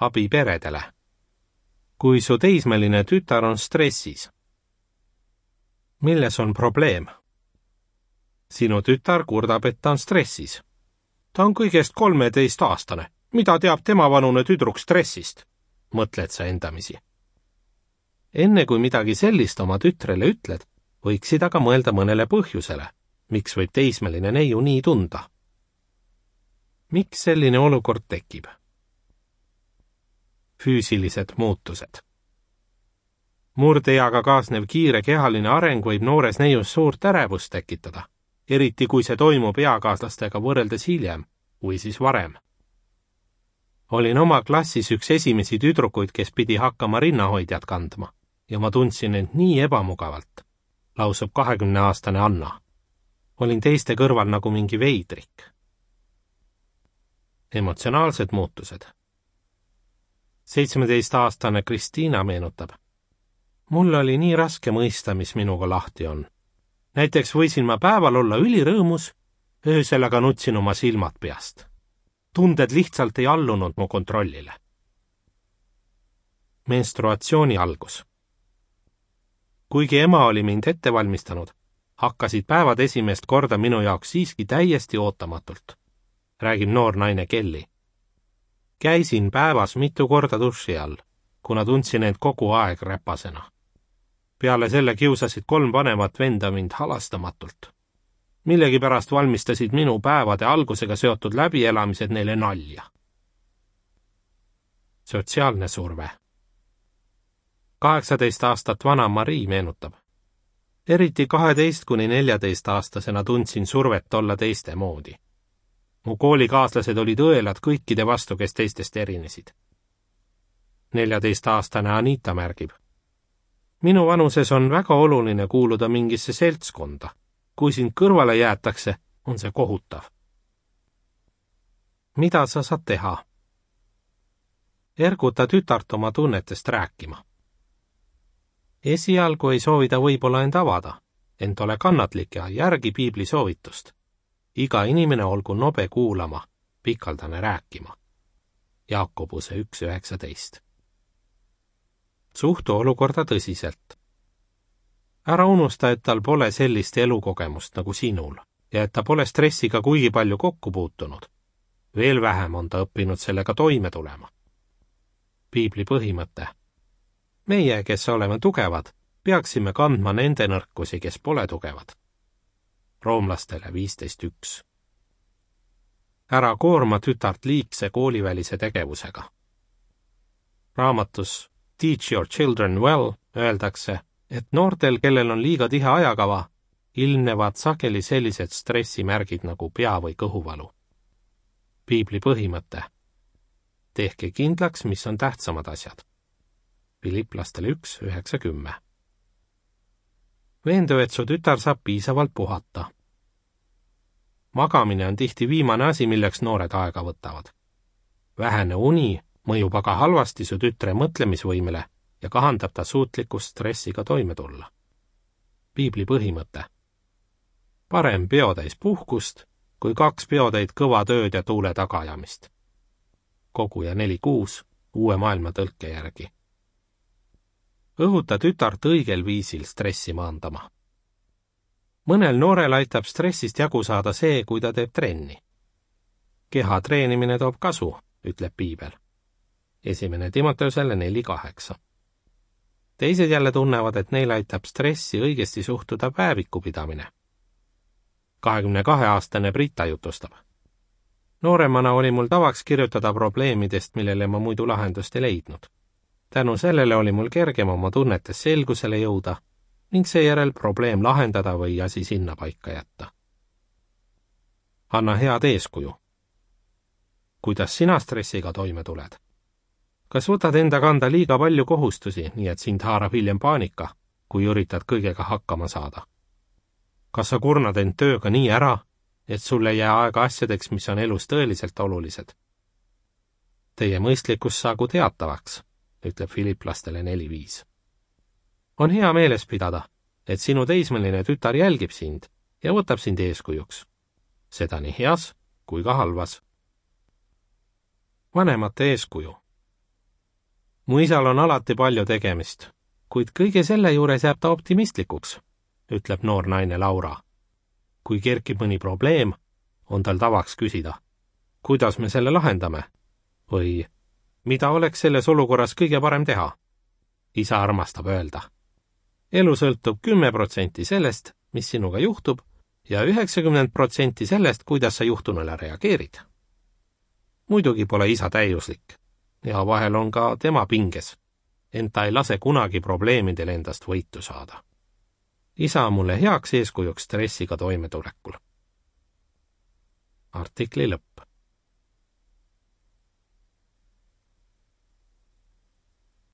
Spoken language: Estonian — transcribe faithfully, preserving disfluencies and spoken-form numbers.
abi peredele. Kui su teismeline tütar on stressis. Milles on probleem? Sinu tütar kurdab, et ta on stressis. Ta on kõigest kolmeteist aastane. Mida teab tema vanune tüdruk stressist? Mõtled sa endamisi. Enne kui midagi sellist oma tütrele ütled, võiksid aga mõelda mõnele põhjusele, miks võib teismeline neiu nii tunda. Miks selline olukord tekib? Füüsilised muutused. Murdeeaga kaasnev kiire kehaline areng võib noores neius suurt ärevust tekitada, eriti kui see toimub eakaaslastega võrreldes hiljem või siis varem. Olin oma klassis üks esimesi tüdrukuid, kes pidi hakkama rinnahoidjat kandma ja ma tundsin end nii ebamugavalt, lausub kahekümneaastane Anna. Olin teiste kõrval nagu mingi veidrik. Emotsionaalsed muutused. seitsmeteistaastane Kristiina meenutab. Mul oli nii raske mõista, mis minuga lahti on. Näiteks võisin ma päeval olla ülirõõmus, öösel aga nutsin oma silmad peast. Tunded lihtsalt ei allunud mu kontrollile. Menstruatsiooni algus. Kuigi ema oli mind ette valmistanud, hakkasid päevad esimest korda minu jaoks siiski täiesti ootamatult, räägib noor naine Kelly. Käisin päevas mitu korda duši all, kuna tundsin end kogu aeg räpasena. Peale selle kiusasid kolm vanemat venda mind halastamatult. Millegipärast valmistasid minu päevade algusega seotud läbielamised neile nalja. Sotsiaalne surve. kaheksateist aastat vana Marii meenutab. Eriti kaheteist kuni neljateist aastasena tundsin survet olla teiste moodi. Mu koolikaaslased olid õelad kõikide vastu, kes teistest erinesid. neljateist-aastane Anita märgib. Minu vanuses on väga oluline kuuluda mingisse seltskonda. Kui sind kõrvale jäetakse, on see kohutav. Mida sa saad teha? Erguta tütart oma tunnetest rääkima. Esialgu ei soovi ta võib-olla end avada, ent ole kannatlik ja järgi piibli soovitust. Iga inimene olgu nobe kuulama, pikaldane rääkima. Jaakobuse üks üheksateist. Suhtu olukorda tõsiselt. Ära unusta, et tal pole sellist elukogemust nagu sinul ja et ta pole stressiga kuigi palju kokku puutunud. Veel vähem on ta õppinud sellega toime tulema. Piibli põhimõte. Meie, kes oleme tugevad, peaksime kandma nende nõrkusi, kes pole tugevad. Roomlastele viisteist üks. Ära koorma tütart liigse koolivälise tegevusega. Raamatus Teach Your Children Well öeldakse, et noortel, kellel on liiga tihe ajakava, ilmnevad sageli sellised stressimärgid nagu pea- või kõhuvalu. Piibli põhimõte. Tehke kindlaks, mis on tähtsamad asjad. Filiplastele üks üheksa kümme. Veendu, et su tütar saab piisavalt puhata. Magamine on tihti viimane asi, milleks noored aega võtavad. Vähene uni mõjub aga halvasti su tütre mõtlemisvõimele ja kahandab ta suutlikkust stressiga toime tulla. Piibli põhimõte. Parem peotäis puhkust, kui kaks peotäid kõva tööd ja tuule tagaajamist. Koguja neli kuus uue maailma tõlke järgi. Õhuta tütart õigel viisil stressi maandama. Mõnel noorel aitab stressist jagu saada see, kui ta teeb trenni. Keha treenimine toob kasu, ütleb piibel. Esimene Timoteusele neli kaheksa. Teised jälle tunnevad, et neil aitab stressi õigesti suhtuda päeviku pidamine. kahekümne kahe aastane Brita jutustab. Nooremana oli mul tavaks kirjutada probleemidest, millele ma muidu lahendust ei leidnud. Tänu sellele oli mul kergem oma tunnetes selgusele jõuda ning seejärel probleem lahendada või asi sinna paika jätta. Anna head eeskuju. Kuidas sina stressiga toime tuled? Kas võtad enda kanda liiga palju kohustusi, nii et sind haarab hiljem paanika, kui üritad kõigega hakkama saada? Kas sa kurnad end tööga nii ära, et sul ei jää aega asjadeks, mis on elus tõeliselt olulised? Teie mõistlikkus saagu teatavaks, ütleb Filiplastele neli viis. On hea meeles pidada, et sinu teismeline tütar jälgib sind ja võtab sind eeskujuks. Seda nii heas kui ka halvas. Vanemate eeskuju. mu isal on alati palju tegemist, kuid kõige selle juures jääb ta optimistlikuks, ütleb noor naine Laura. kui kerkib mõni probleem, on tal tavaks küsida, kuidas me selle lahendame või mida oleks selles olukorras kõige parem teha. isa armastab öelda. elu sõltub kümme protsenti sellest, mis sinuga juhtub, ja üheksakümmend protsenti sellest, kuidas sa juhtunule reageerid. muidugi pole isa täiuslik ja vahel on ka tema pinges, ent ta ei lase kunagi probleemidel endast võitu saada. isa on mulle heaks eeskujuks stressiga toimetulekul. Artikli lõpp.